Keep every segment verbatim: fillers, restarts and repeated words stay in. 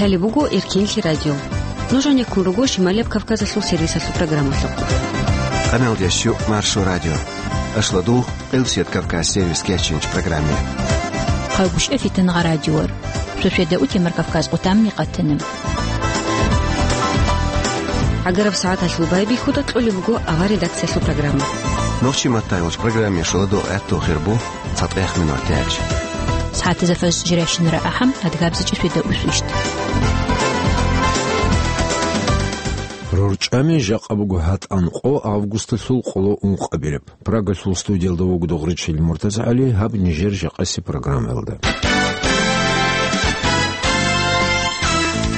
Гьале буго Эркенлъи радио. Нуж гьанеккун руго Шималияб Кавказалъул сервисалъул программалъухъ. Къамелдеш юкъ Маршо радио. Ашлу дугъ Къилсият Кавказ сервис кечинч программе. Хъагушев Фитангъа радиор. Шошеда утемар Кавказ къутамни къатана. ГӀагараб сагӀаталъул байбихьуда кьолеб буго авар редакциялъул программа. Нохчи маттайолч программе шуладо гӀатту хирбу. ЦатӀех минутач. СагӀатазда фаз жирайщинара ахӀам, адгабзичӀи свида усвищт. РорчӀами жакъа буго гьатӀан къо августалъул къоло ункъабилеб. Прагалъул студиялда вуго Догъричил МуртазагӀали, гьаб нижер жакъаси программаялда.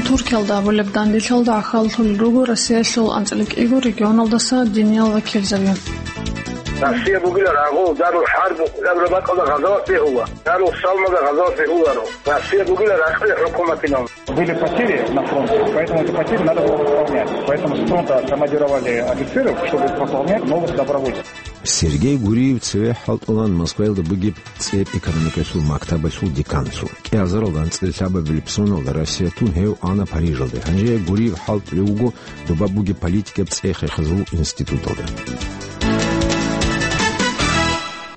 Туркиялда абулеб данделъалда гӀахьаллъулел руго Россиялъул анцӀила кӀиго регионалдаса диниял вакилзаби. Россия бугила рагъул дарул хӀарб абураб бакӀалда гъазават бегьула, дарул салмада гъазават бегьуларо. Россия бугила ракьи хӀукуматинал. Были потери на фронте, поэтому эти потери надо было восполнять. Поэтому с фронта командировали офицеров, чтобы восполнять новых добровольцев. Сергей Гуриев цеве хӀалтӀулан Москваялда бугеб цӀеб экономикалъул мактабалъул деканлъун. КӀиазаралда анцӀила лъабабилеб соналда Россия тун гьев ана Парижалде. Гьанже Гуриев хӀалтӀулев вуго доба бугеб политикаб цӀех рехизул институталда.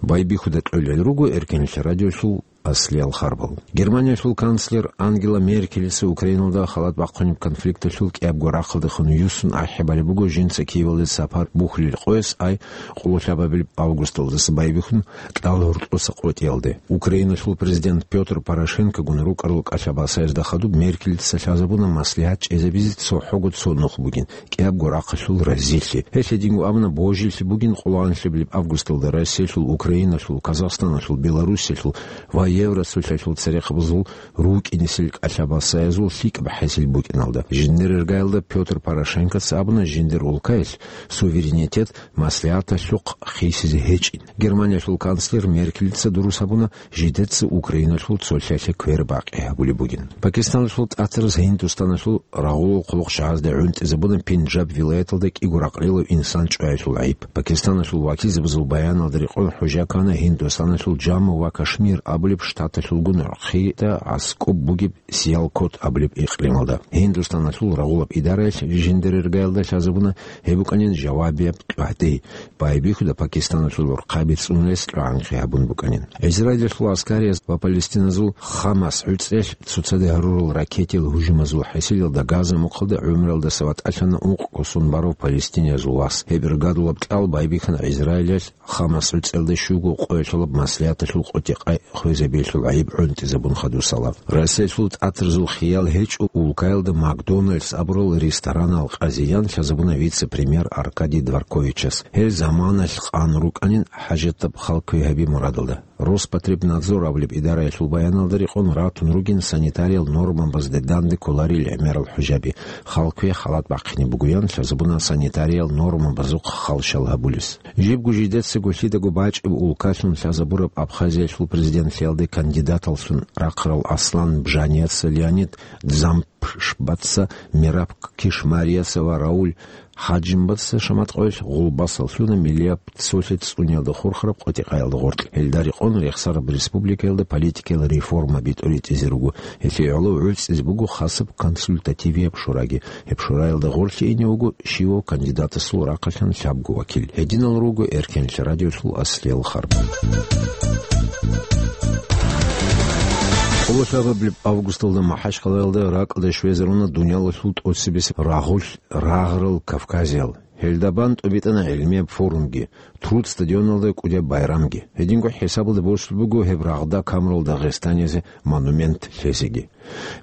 Байбихьуда кьолел руго Эркенлъи радиолъул аслиял харбал. Германиялъул канцлер Ангела Меркелица Украиналда халат бахъунеб конфликталъул кӀиябго рахъалдехун юссун ахӀи балеб буго жинца Киевалде сапар бухьулел къояс ай къоло лъабабилеб августалдаса байбихьун кьал гьоркьоса къотӀиялде. Украиналъул президент Пётр Порошенкогун рукӀарал кӀалъабасаязда хадуб Меркелица лъазабуна маслигьат чӀезабизе цохӀого цо нух бугин, кӀиябго рахъалъул разилъи. Гьелъ гьединго абуна, божилъи бугин къолоанлъабилеб августалда Россиялъул, Украиналъул, Казахстаналъул, Белоруссиялъул ва Евросоюзалъул церехъабазул рукӀинесел кӀалъабасаязул лъикӀаб хӀасил букӀиналда. Жиндир иргаялда Пётр Порошенкоца абуна, жиндир улкаялъ суверенитет маслигьаталъухъ хисизе гьечӀин. Германиялъул канцлер Меркелица дурус гьабуна, жидеца Украиналъул цолъалъе квер бакъи гьабулеб бугин. Пакистаналъул тӀатараз Гьиндустаналъул рагъулал хъулухъ жагьазде гӀунтӀизабуна Пенджаб вилаяталда кӀиго ракълилав инсан чӀваялъул гӀайиб. Пакистаналъул вакилзабазул баяналда рекъон хӀужа ккана Гьиндустаналъул Джамму ва Кашмир абулеб штаталъулгун гӀурхъида аскӀоб бугеб Сиялкот абулеб икълималда. Гьиндустаналъул рагъулаб идараялъ жиндир иргаялда лъазабуна гьеб букӀанин жавабияб къагӀди. Байбихьуда Пакистаналъул гӀурхъаби цӀунулес кьогӀанхъи гьабун букӀанин. Израилалъул аскарияз ва палестиназул Хамас гӀуцӀрелъ цоцаде гьарурал ракетиял гьужумазул хӀасилалда Газа мухъалда гӀумруялдаса ватӀалъана ункъго сон барав палестиниязул вас. Гьеб иргадулаб кьал байбихьана Израилалъ Хамас гӀуцӀралда щуго къоялъулаб маслигьаталъул къотӀи-къай хвезабиялъул гӀайиб гӀунтӀизабун хадусала. Россиялъул тӀатарзул хиял гьечӀо улкаялда Макдональдс абурал ресторанал къазиян лъазабуна вице-премьер Аркадий Дворковичас. Гьел заманалъ къан рукӀанин хӀажатаб хал квегьаби мурадалда. Роспотребнадзор абулеб идараялъул баяналда рекъон ратун ругин санитариял нормабазде данде кколарел гӀемерал хӀужаби. Хал кве халат бахъине бугоян лъазабуна санитариял нормабазухъ халщал гьабулес. Жибго жидецаго лъидаго бачӀеб улкалъун лъазабураб Абхазиялъул президентлъиялде кандидаталлъун рахъарал Аслан Бжанияца Леонид Дзампшбаца, Мераб Кишмарияца ва Рауль Хаджимбаца шаматкъоялъ гъулбасал лъуна миллияб цолъи цӀуниялда хурхараб къотӀи-къаялда гъоркь. Гьелда рекъон рехсараб республикаялда политикиял реформаби тӀуритӀизе руго. Гьелъие гӀоло гӀуцӀизе буго хасаб консультативияб шураги. Гьеб шураялда гъорлъе ине вуго щивав кандидатасул рахъалъан лъабго вакил. Гьединал руго Эркенлъи радиолъул аслиял харбал. Къоло лъабабилеб августалда МахӀачхъалаялда ракӀалде щвезаруна дунялалъул тӀоцебесеб рагъулъ рагъарал кавказиял. Гьелда бан тӀубитӀана гӀилмияб форумги, Труд стадионалда кӀудияб байрамги. Гьединго хӀисабалда босулеб буго гьеб рагъда камурал дагъистаниязе монумент лъезеги.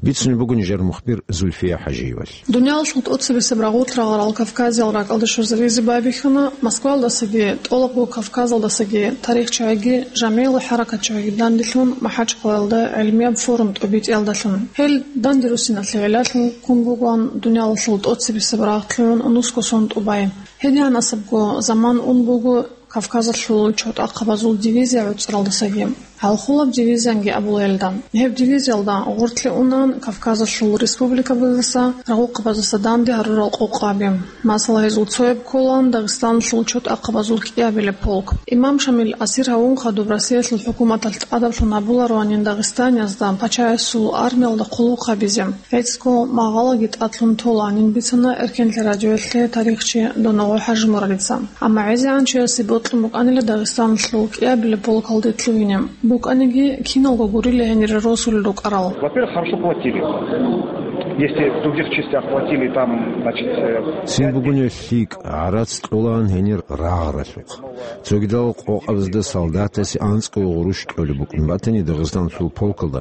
Бицунеб буго нижер мухбир Зульфия ХӀажиевалъ. Дуниялалъул тӀоцебесеб рагъулъ рагъарал кавказиял ракӀалде щвезаризе байбихьана Москваялдасаги, тӀолабго Кавказалдасаги тарихчагӀиги, жамигӀлу хӀаракатчагӀиги данделъун МахӀачхъалаялда гӀилмияб форум тӀубитӀиялдалъун. Гьел данде руссиналъе гӀелалъун ккун бугоан дуниялалъул тӀоцебесеб рагъ лъугӀун нусго сон тӀубай. Гьедигьанасебго заман ун буго Кавказалъул чорхтӀахъабазул дивизия гӀуцӀралдасаги. Гьалхулаб дивизиянги абула гьелда. Гьеб дивизиялда гъорлъе унан Кавказалъул республикабаздаса, рагъухъабаздаса данде гьарурал къокъаби. Масала, гьезул цояб кколаан Дагъистаналъул чотӀахъабазул кӀиабилеб полк. Имам Шамил асир гьавун хадуб Россиялъул хӀукуматалъ тӀадаблъун гьабулароанин дагъистаниязда пачаясул армиялда хъулухъ гьабизе. ГӀицӀго магъалаги тӀадлъун толанин бицана Эркенлъи радиоялъе тарихчи Доногъо ХӀажимурадица. Амма гӀезегӀан чиясе бокьун букӀанила Дагъистаналъул кӀиабилеб полкалде лъугьине. БукӀаниги, киналго гурила гьенире росулел рукӀарал. Во-первых, хорошо платили. Если в других частях платили, там, значит, э, Цин бугунеб лъикӀ, гӀарац кьолаан гьенир рагъаралъухъ. Цогидал къокъабазда солдатасе анцӀго гъурущ кьолеб букӀун батани, Дагъистаналъул полкалда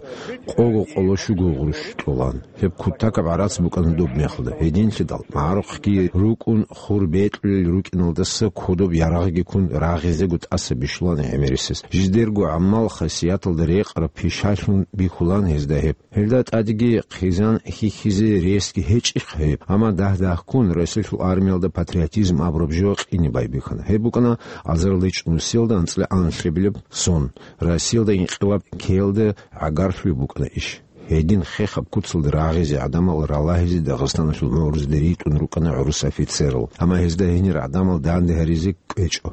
къого къоло щуго гъурущ кьолаан. Гьеб кутакаб гӀарац букӀана доб мехалда. Гьединлъидал, магӀарухъги рукӀун, хур бекьулел рукӀиналдаса кодоб ярагъги ккун рагъизего тӀаса бищулаан гӀемерисез. Жидерго гӀамал-хасияталда рекъараб пишалъун бихьулаан гьезда гьеб. Гьелда тӀадеги хъизан хьихьизе ресги гьечӀищха гьеб, амма дагь-дагьккун Россиялъул армиялда патриотизм абураб жо къине байбихьана. Гьеб букӀана азарилда ичӀнусиялда анцӀила анлъабилеб сон. Россиялда инкъилаб ккеялда гӀагарлъулеб букӀана иш. Гьедин хехаб куцалда рагъизе гӀадамал ралагьизе Дагъистаналъул мугӀрузде ритӀун рукӀана гӀурус офицерал, амма гьезда гьенир гӀадамал данде гьаризе кӀвечӀо.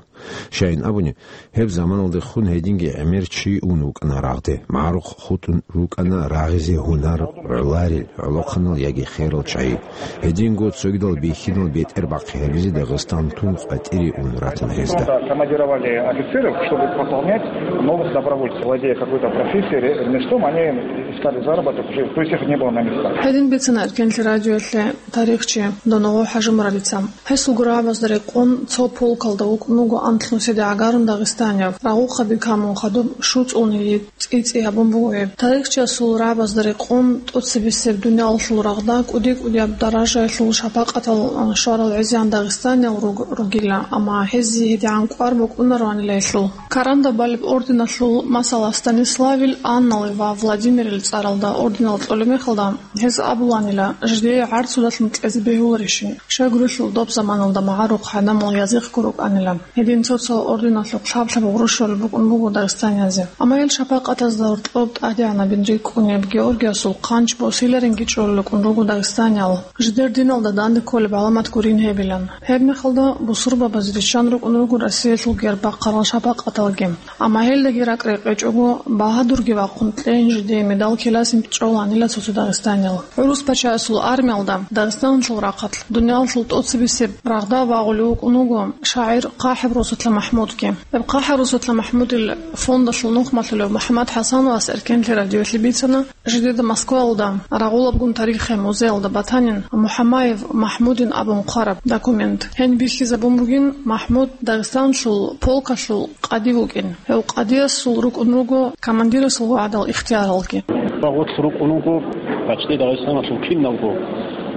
Щайин абуни, гьеб заманалдехун гьединги гӀемер чи ун вукӀана рагъде, магӀарухъ хутӀун рукӀана рагъизе гьунар гӀоларел, гӀолохъанал яги херал чагӀи. Гьединго цогидал бихьинал бетӀер бахъи гьабизе Дагъистан тун къватӀире ун ратана гьезда. Командировали офицеров, чтобы пополнять новых добровольцев. Владея какой-то профессией, ре-, ремеслом, они искали заработок уже, то есть их не было на местах. Гьедин бицана Эркенлъи радиоялъе тарихчи Доногъо ХӀажимурадица. Гьесул гурабазда рекъон цо полкалда вукӀун вуго анлънусиде гӀагарун дагъистанияв, рагъухъаби камун хадуб щуцӀулни цӀи-цӀи гьабун буго гьеб. Тарихчиясул рагӀабазда рекъон тӀоцебесеб дуниялалъул рагъда кӀуди-кӀудияб даражаялъул шапакъатал, а, щварал гӀезегӀан дагъистаниял руг-, ругила, амма гьезие гьедигӀан кӀвар букӀунароанила гьелъул. Карандаб балеб орденалъул, масала, Станиславил, Аннал ва Владимирил цӀаралда орденал кьолеб мехалда, гьез абуланила, жидее гӀарцудалъун кьезе бегьуларищин, щай гурелъул доб заманалда магӀарухъ гӀадамал язихъго рукӀанила. Гьедин цо-цо орденалъухъ лъаб-лъаб гъурущ щолеб букӀун буго дагъистаниязе. Амма гьел шапакъатазда гьоркьоб тӀадегӀанабин рикӀкӀунеб Георгиясул хъанч босиларинги чӀолел рукӀун руго дагъистаниял, жидер диналда данде кколеб гӀаламат гурин гьебилан. Гьеб мехалда бусурбабазе риччан рукӀун руго Россиялъул герб бахъарал шапакъаталги. Амма гьелдаги ракӀ-рекъечӀого, багьадурги вахъун кьейин жидее медал киласин чӀоланила цо-цо дагъистаниял. ГӀурус пачаясул армиялда Дагъистаналъул рахъалъ дуниялалъул тӀоцебесеб рагъда вагъулев вукӀун вуго шагӀир ХъахӀиб Росулъа МахӀмудги. Гьеб ХъахӀиб Росулъа МахӀмудил фондалъул нухмалъулев МухӀаммад ХӀасановас Эркенлъи радиоялъе бицана, жидеда Москваялда рагъулабгун тарихи музеялда батанин МухӀамаев МахӀмудин абун хъвараб документ. Гьениб бихьизабун бугин МахӀмуд Дагъистаналъул полкалъул къади вукӀин. Гьев къадиясул рукӀун руго командирасул гӀадал ихтияралги. Гъорлъ рукӀун вуго почти Дагъистаналъул киналго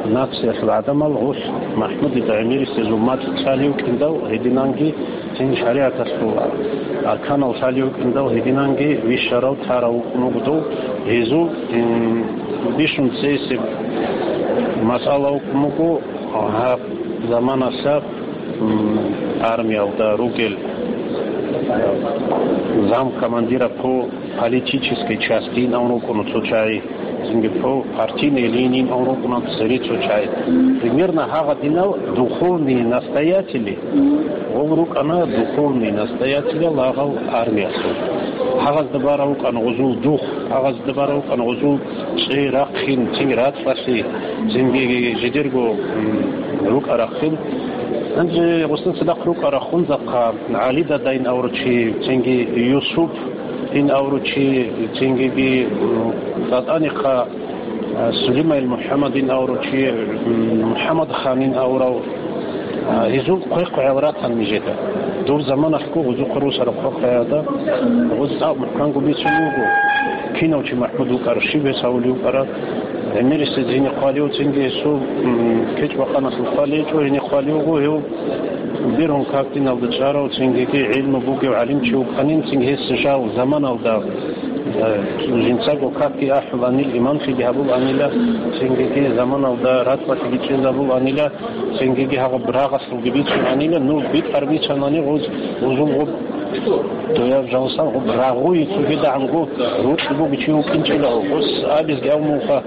нациялъул гӀадамал гъорлъ МахӀмудида гӀемерисезул мацӀ лъалев вукӀиндал гьединанги, цин шаригӀаталъул арканал лъалев вукӀиндал гьединанги вищарав тарав вукӀун вуго дов. Гьезул, м, бищун цейсеб масъала вукӀун вуго гьаб заманалъа м, армиялда ругел, э, замкомандира по политической части ин абун рукӀуна цо чагӀи, цинги по партийной линии ин абун рукӀуна цере цо чагӀи. Примерно гьагъадинал духовные настоятели, гъол рукӀана духовные настоятели лагъал армиялъул. Гьагъазда барав вукӀана гъозул дух, гьагъазда барав вукӀана гъозул цӀе рахъин, цинги рацӀцӀалъи, цинги жидерго, м, рукӀа рахъин. Гьанже гъосда цадахъ рукӀа рахъунзахъа ГӀали дада ин авручи, цинги Юсуп ин авручи, цинги, м, ТӀатӀанихъа, а, Сулимаил МухӀаммад ин авручи, м, МухӀаммад хан ин аврав, А, гьезул хъвехъ гӀел ратан нижеда. Дур заманалъго гъузухъа росараб хъвехъ гӀелда, гъуз цӀакъ мухӀканго бицун вуго. Кинав чи МахӀмуд вукӀара, щиб гьес гьавулев вукӀара. ГӀемерисез гьенихъ хъвалев цинги гьесул, м, кечӀ-бакъаналъул хъвалечӀо, гьенихъ хъвалевго гьев бергьун как диналда чӀарав, цингиги гӀилму бугев гӀалимчи вукӀанин, цинги гьес жал заманалда, э, жинцаго какги ахӀуланил, имамлъиги гьабуланила, цингиги заманалда рацӀцӀалъиги чӀезабуланила, Цинги гьагъаб рагъалъулги бицунанила, ну, битӀар бицанани гъуз, гъузул гъуб Дояв жалсан гъуб рагъуй цогидагӀанго рукь бугичи вукӀинчӀила гъос абизги гьав муха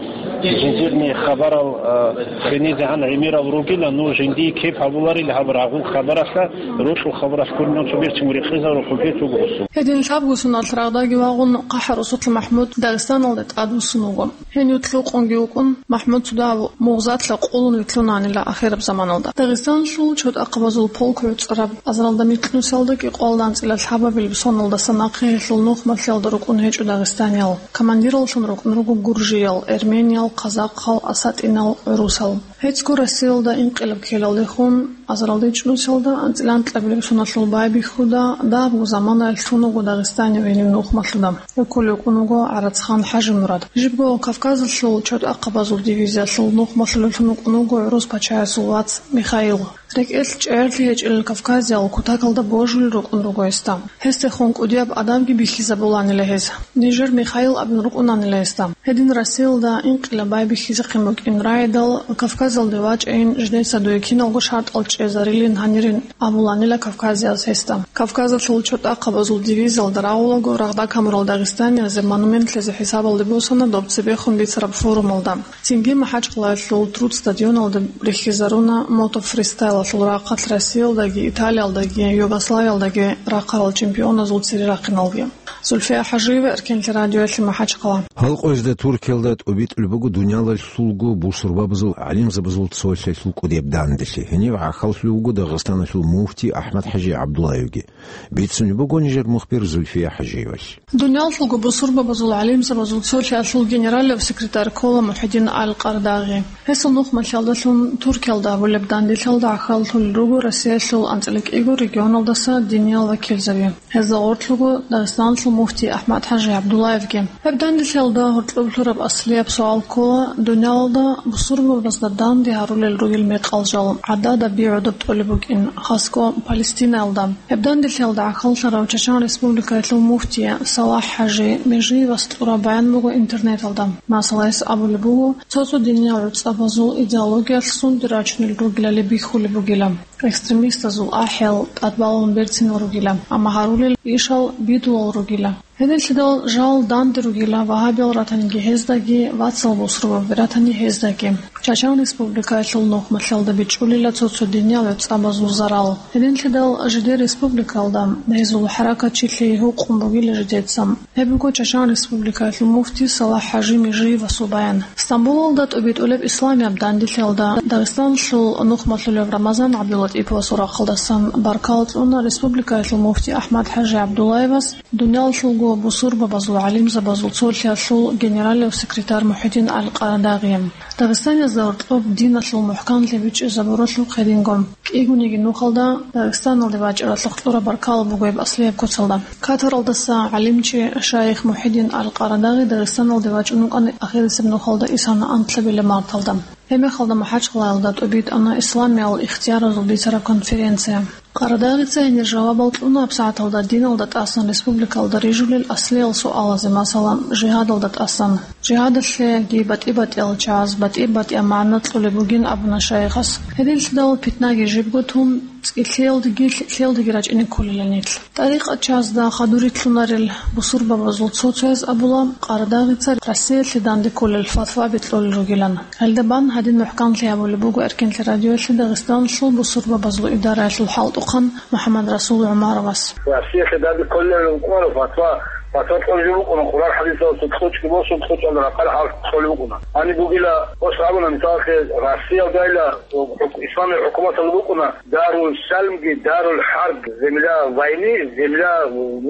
жиндирни хабарал, а, хинизегӀан гӀемерал ругила, ну жиндие кеп гьабуларил гьаб рагъул хабаралъа, рукьул хабаралъ гуринав цо берцин рекъезарухъубе цугу гъосу. Гьедин лъабго соналъ рагъдаги вагъун ХъахӀарусулъа МахӀмуд Дагъистаналде тӀадвуссун вуго. Гьенив лъукъунги вукӀун, МахӀмуд цо дагьаб мугъзатлъа къулун вилълъунаанила ахираб заманалда. Дагъистанлъул чотӀахъабазул полк гӀуцӀараб азаралда микьнусиялдаги къоялда анцӀила лъабабилеб соналдаса нахъе гьелъул нухмалъиялда рукӀун гьечӀо дагъистаниял. Командираллъун рукӀун руго гуржиял, эрмениял, казахъал, асатӀинал, гӀурусал. ГьецӀго Россиялда инкъилаб ккелалдехун, азаралда ичӀнусиялда анцӀила анкьабилеб соналъул байбихьуда, дагьабго заманаялъ лъун вуго Дагъистанив гьенив нухмалъуда. Вуккулев вукӀун вуго ГӀарацхан ХӀажимурад. Жибго Кавказалъул чотӀахъабазул дивизиялъул нухмалъулевлъун вукӀун вуго гӀурус пачаясул вац Михаил. РекӀелъ чӀегӀерлъи гьечӀел кавказиял кутакалда божулел рукӀун руго гьесда. Гьесдехун кӀудияб адабги бихьизабуланила гьез. Нижер Михаил абун рукӀунанила гьесда. Гьедин Россиялда инкъилаб байбихьизехъин букӀин рагӀидал, Кавказалде вачӀайин жидеца дуе киналго шартӀал чӀезарилин гьанирин абуланила кавказияз гьесда. Кавказалъул чотӀахъабазул дивизиялда рагъулаго рагъда камурал дагъистаниязе монументлъизе хӀисабалде босана доб цебехун бицараб форумалда. Цинги МахӀачкъалаялъул Труд стадионалда рихьизаруна мотофристайлалъул рахъалъ Россиялдаги, Италиялдаги, Югославиялдаги рахъарал чемпионазул цере рахъиналги. Зульфия ХӀажиева, Эркенлъи радиоялъе, МахӀачкъала. Гьал къоязда Туркиялда тӀубитӀулеб буго дунялалъулго бусурбабазул гӀалимзабазул цолъиялъул кӀудияб данделъи. Гьенив гӀахьаллъулев вуго Дагъистаналъул муфти АхӀмад-ХӀажи ГӀабдуллаевги. Бицунеб буго нижер мухбир Зульфия ХӀажиевалъ. Дунялалъулго бусурбабазул гӀалимзабазул цолъиялъул генералев секретарь ккола МухӀидин аль-Къардагъи. Гьесул нухмалъиялдалъун Туркиялда гьабулеб данделъиялда гӀахьаллъулел руго Россиялъул анцӀила кӀиго регионалдаса диниял вакилзаби. Гьезда гъорлъ вуго Дагъистаналъул муфти АхӀмад-ХӀажи ГӀабдуллаевги. Гьеб данделъиялда гьоркьоб лъураб аслияб суал ккола: дунялалда бусурбабазда данде гьарулел ругел мекъал жал гӀадада би гӀодоб тӀолеб букӀин, хасго Палестинаялда. Гьеб данделъиялда гӀахьаллъарав Чачан Республикаялъул муфти СалахӀ-ХӀажи Межиевас кьураб баян буго интернеталда. Масала, гьес абулеб буго, цо-цо диниял гӀуцӀабазул идеологиялъ сунде рачунел ругелали бихьулеб бугила, экстремистазул ахӀиял тӀадбалун берцинал ругила, амма гьарулел ишал бидулал ругила. Гьединлъидал жал данде ругила вагьабиял ратаниги гьездаги, вацал бусурбаби ратани гьездаги. Чачан Республикаялъул нухмалъиялда бичӀчӀулила цо-цо диниял гӀуцӀабазул зарал. Гьединлъидал жидер республикаялда гьезул хӀаракатчилъи гьукъун бугила жидеца. Гьеб буго Чачан Республикаялъул муфти СалахӀ-ХӀажи Межиевасул баян. Стамбулалда тӀубитӀулеб исламияб данделъиялда Дагъистаналъул нухмалъулев Рамазан ГӀабдуллатӀиповасул рахъалдасан баркала кьуна республикаялъул муфти АхӀмад-ХӀажи ГӀабдуллаевас, дунялалъулго бусурбабазул гӀалимзабазул цолъиялъул генералев секретарь МухӀидин аль-Къарадагъи. Дагъистаниязда гьоркьоб диналъул мухӀканлъи бичӀчӀизабуралъухъ гьединго. КӀигониги нухалда Дагъистаналде вачӀаралъухъ кьураб баркала буго гьеб аслияб куцалда. Катаралдаса гӀалимчи шайих МухӀидин аль-Къарадагъи Дагъистаналде вачӀун вукӀана ахирисеб нухалда исана анкьабилеб марталда. Гьебмехалда МахӀачкъалаялда тӀубитӀана исламиял ихтияразул бицараб конференция. Къарадагъица гьенир жавабал кьуна гьабсагӀаталда диналда тӀасан республикалда рижулел аслиял суалазе, масала, жигьадалда тӀасан. Жигьадалъеги батӀи-батӀиял чагӀаз батӀи-батӀияб магӀна кьолеб бугин абуна шайихас. Гьединлъидал питнаги жибго тун, цӀикӀкӀиялдеги лъикӀлъиялдеги рачӀине кколила нилъ. ТӀарикъат чагӀазда хадур рилълъунарел бусурбабазул цо-цояз абула, Къарадагъица Россиялъе данде кколел фатва бикьулел ругилан. Гьелда бан гьадин мухӀканлъи гьабулеб буго Эркенлъи радиоялъе Дагъистаналъул бусурбабазул идараялъул хӀалтӀухъан МухӀаммадрасул ГӀумаровас. Россиялъе данде кколел рукӀунаро фатва, фатва кьолеб букӀуна, Къуръан хӀадисалъул кьучӀги босун, кьучӀалда рахъал хӀал кьолеб букӀуна. Гьаниб бугила, ос абуна, мисалалъе, Россиялдайила хӀук-, исламияб хӀукуматалда букӀуна, Дарул Салмги, Дарул ХӀарб, земля войны, земля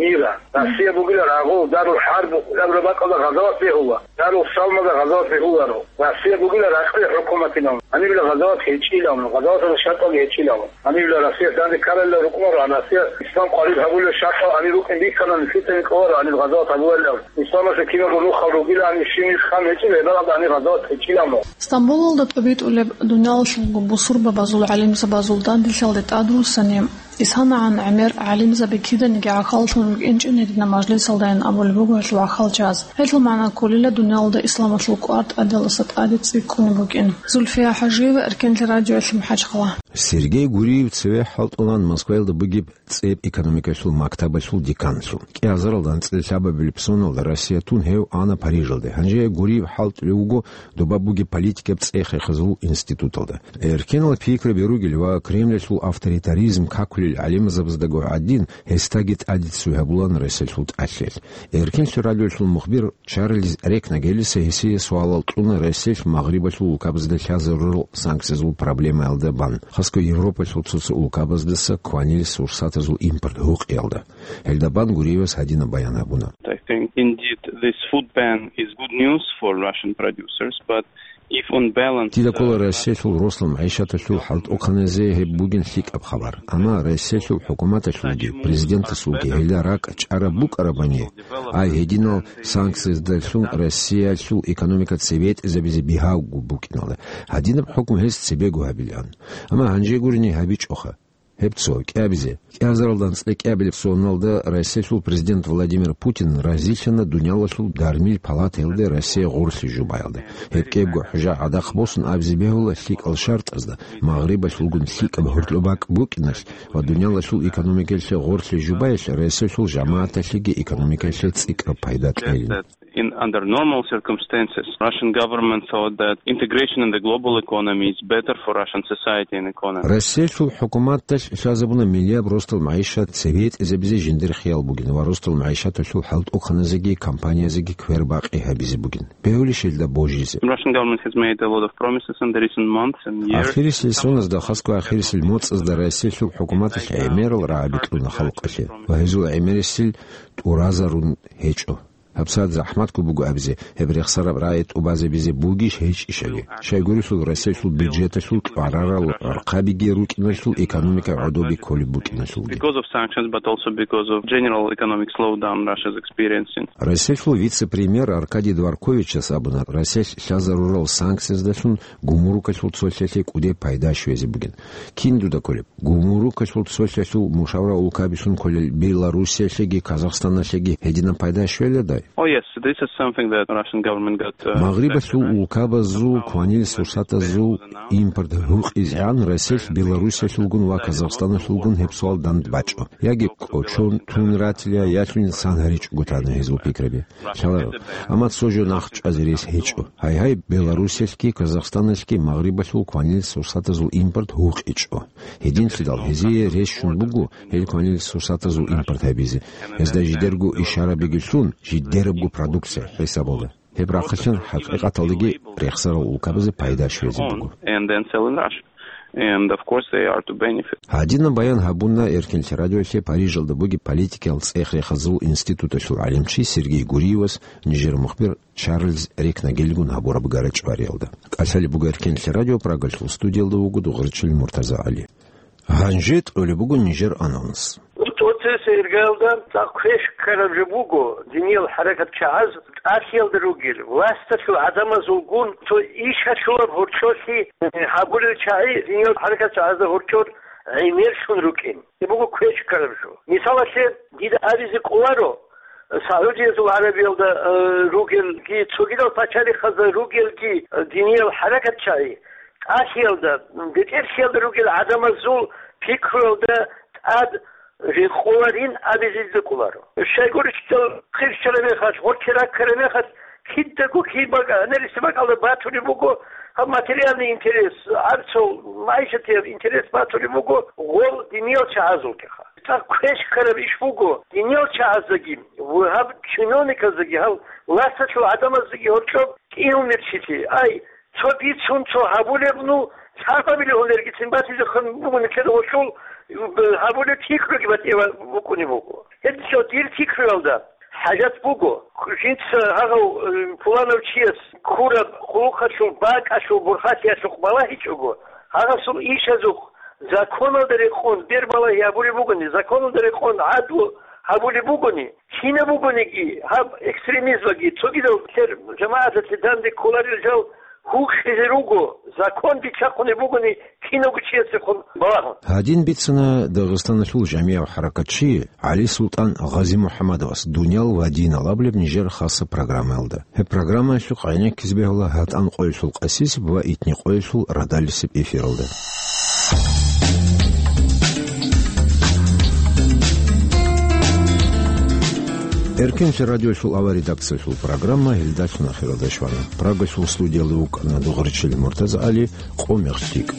мира. Россия бугила рагъул, Дарул ХӀарб абураб бакӀалда гъазават бегьула, Дарул Салмалда гъазават бегьуларо. Россия бугила ракьалил хӀукуматилан. Гьанибила гъазават гьечӀилан, гъазаваталда шартӀал гьечӀилан. Гьанибила Россия данде ккаралила рукӀунаро, Россия ислам къварид гьабулев шартӀал гьаниб рукӀин бихьана, нилъеца гьикъуларо гьаниб гъазават гьабуларилан. Исламалъе киналго нухал ругила, гьаниб щиб нилъ хан гьечӀила, гьеб бакӀалда гьаниб гъазават гьечӀилан. Стамбулалда тӀубитӀулеб дунялалъулго бусурбабазул гӀалимзабазул данделъиялде тӀадвуссани, Исанагьан гӀемер гӀалимзаби киданиги гӀахьаллъун рукӀинчӀин гьединаб мажлисалдайин абулеб буго гьелъул гӀахьалчияз. Гьелъул магӀна кколила дуниялалда исламалъул кӀвар тӀадегӀлъиса тӀаде цӀикӀкӀунеб букӀин. Зульфия ХӀажиева, Эркенлъи радиоялъе МахӀачхъала. Сергей Гуриев цеве хӀалтӀулаан Москваялда бугеб цӀеб экономикалъул мактабалъул деканлъун. КӀиазаралда анцӀила лъабабилеб соналда Россия тун гьев ана Парижалде. Гьанже Гуриев хӀалтӀулев вуго доба бугеб политикаб цӀех-рехазул институталда. Эркенал пикраби ругел ва Кремльалъул авторитаризм какулел гӀалимзабаздаго гӀадин, гьесдаги тӀаде цой гьабулаан Россиялъул тӀалъел. Эркенлъи радиоялъул мухбир Чарльз Рекнагелиса гьесие суалал кьуна Россиялъ Магърибалъул улкабазда лъазарурал санкциязул проблемаялда бан, хасго Европалъул цо-цо улкабаздаса кванил сурсатазул импорт гьукъиялда. Гьелда бан Гуриевас гьадинаб баян гьабуна. I think indeed this food ban is good news for Russian producers, but if on balance, Дида ккола uh, Россиялъул росла магӀишаталъул хӀалтӀухъаназе гьеб бугин лъикӀаб хабар. Амма Россиялъул хӀукуматалъулги, президентасулги гьелда ракӀ чӀараб букӀарабани, ай гьединал санкцияздалъун Россиялъул экономика цебетӀезабизе бигьавго букӀиналда, гьадинаб хӀукму гьес цебего гьабилаан. Амма гьанже гурони гьабичӀоха. Гьеб цо, кӀиабизе. КӀиазаралда анцӀила кӀиабилеб соналда Россиялъул президент Владимир Путин разилъана дуниялалъул дармил палатаялде Россия гъорлъи жубаялда. Гьеб кӀиябго хӀужа гӀадахъ босун абизе бегьула лъикӀал шартӀазда, Магърибалъулгун лъикӀаб гьоркьоб бакӀ букӀиналъ ва дуниялалъул экономикаялъе гъорлъи жубаялъ Россиялъул жамагӀаталъеги экономикаялъе цӀикӀкӀаб пайда кьейилан. In under normal circumstances, Russian government thought that integration in the global economy is better for Russian society and economy. Россиялъул хӀукуматалъ лъазабуна миллияб росдал магӀишат цебетӀезабизе жиндир хиял бугин ва росдал магӀишаталъул хӀалтӀухъаназеги компаниязеги квербакъи гьабизе бугин. Бегьулищ гьелда божизе? Russian government has made a lot of promises in the recent months and years. Ахирисел соназда, хасго ахирисел моцӀазда Россиялъул хӀукуматалъ гӀемерал рагӀаби кьуна халкъалъе ва гьезул гӀемерисел тӀуразарун гьечӀо. ГьабсагӀат захӀматго буго абизе, гьеб рехсараб рагӀи тӀубазабизе бугищ гьечӀищали. Щайгурелъул Россиялъул бюджеталъул кьварарал гӀорхъабиги рукӀиналъул экономика гӀодобе кколеб букӀиналъулги. Because of sanctions, but also because of general economic slowdown Russia is experiencing. Россиялъул вице-премьер Аркадий Дворковичас абуна, Россиялъ лъазарурал санкцияздалъун гумрукалъул цолъалъе кӀудеб пайда щвезе бугин. Кин дуда кколеб? Гумрукалъул цолъалъул мушавра улкабилъун кколел Белоруссиялъеги Казахстаналъеги гьединаб пайда щвеладай? Oh, yes, this is something that Russian government got, uh, Магърибалъул улкабазул кванил сурсатазул импорт гьукъизегӀан Россиялъ Белоруссиялъулгун ва Казахстаналъулгун гьеб суал дандбачӀо. Яги кӀочон тун ратила, ялъунин сан гьаричӀого тана гьезул пикраби. Лъаларо. Амма цо жо нахъчӀвазе рес гьечӀо. Гьайгьай, Белоруссиялъги Казахстаналъги Магърибалъул кванил сурсатазул импорт гьукъичӀо. Гьединлъидал гьезие рес щун буго гьел кванил сурсатазул импорт гьабизе. Гьезда жидерго ишарабиги лъун, жидерабго продукция хӀисабалда. Гьеб рахъалъан хӀакъикъаталдаги рехсарал улкабазе пайда щвезе буго. And then sell in Russia. And of course they are to benefit. Гьадинаб баян гьабуна Эркенлъи радиоялъе Парижалда бугеб политикиял цӀех-рехазул институталъул гӀалимчи Сергей Гуриевас нижер мухбир Чарльз Рекнагелигун гьабураб гарачӀвариялда. КӀалъалеб буго Эркенлъи радио, Прагалъул студиялда вуго Дугъричил МуртазагӀали. Гьанже тӀолеб буго нижер анонс. ТӀоцебесеб иргаялда цӀакъ квеш ккараб жо буго, диниял хӀаракат чагӀаз тӀалъиялда ругел, власталъул гӀадамазулгун цо иш гьалъулаб гьоркьолъи гьабулел чагӀи диниял хӀаракат чагӀазда гьоркьор гӀемерлъун рукӀин. Гьеб буго квеш ккараб жо. Мисалалъе, дида абизе кӀоларо, Саудиязул ГӀарабиялда, э, ругелги, цогидал пачалихъазда ругелги, э, диниял хӀаракатчагӀи, тӀалъиялда, бетӀерлъиялда ругел гӀадамазул пикруялда тӀад рекъоларин абизе кӀоларо. Щайгурелъул хъирчараб мехалъ, гъоркье раккараб мехалъ, кидаго кин бакӀа-, гьанирисеб бакӀалда батулеб буго, гьаб материальный интерес, гьаб цо магӀишатияб интерес батулеб буго гъол диниял чагӀазулгиха. ЦӀакъ квеш ккараб иш буго, диниял чагӀаздаги ва гьаб чиновниказдаги, гьаб власталъул гӀадамаздаги гьоркьоб кӀиго мерчилъи. Ай, цо бицун, цо гьабулеб, ну, лъабабилеб гьунергицин батизехун буго нилъер гъолъул, гьабулеб пикруги батӀияб букӀунеб буго. Гьеб цо дир пикруялда хӀажат буго, жинца гьагъав, э, пуланав чияс ккураб хъулухъалъул бакӀалъул бурхӀалъиялъухъ балагьичӀого, гьагъасул ишазухъ законалда рекъон бербалагьи гьабулеб бугони, законалда рекъон гӀадлу гьабулеб бугони, кинаб бугониги, гьаб экстремизмаги, цогидал лъер жамагӀаталъе данде кколарел жал гьукъизе руго, закон биччахъунеб бугони, кинавго чиясехун балагьун. Гьадин бицана Дагъистаналъул жамигӀав хӀаракатчи ГӀалисултӀан Гъазимухьамадовас «Дуниял ва динал» абулеб нижер хасаб программаялда. Гьеб программаялъухъ гӀенеккизе бегьула гьатӀан къоялъул къасисеб ва итни къоялъул радалисеб эфиралда. Эркенлъи радиолъул авар редакциялъул программа гьелдалъун ахиралде щвана. Прагалъул студиялда вукӀана Дугъричил МуртазагӀали, къо мегъ лъикӀ.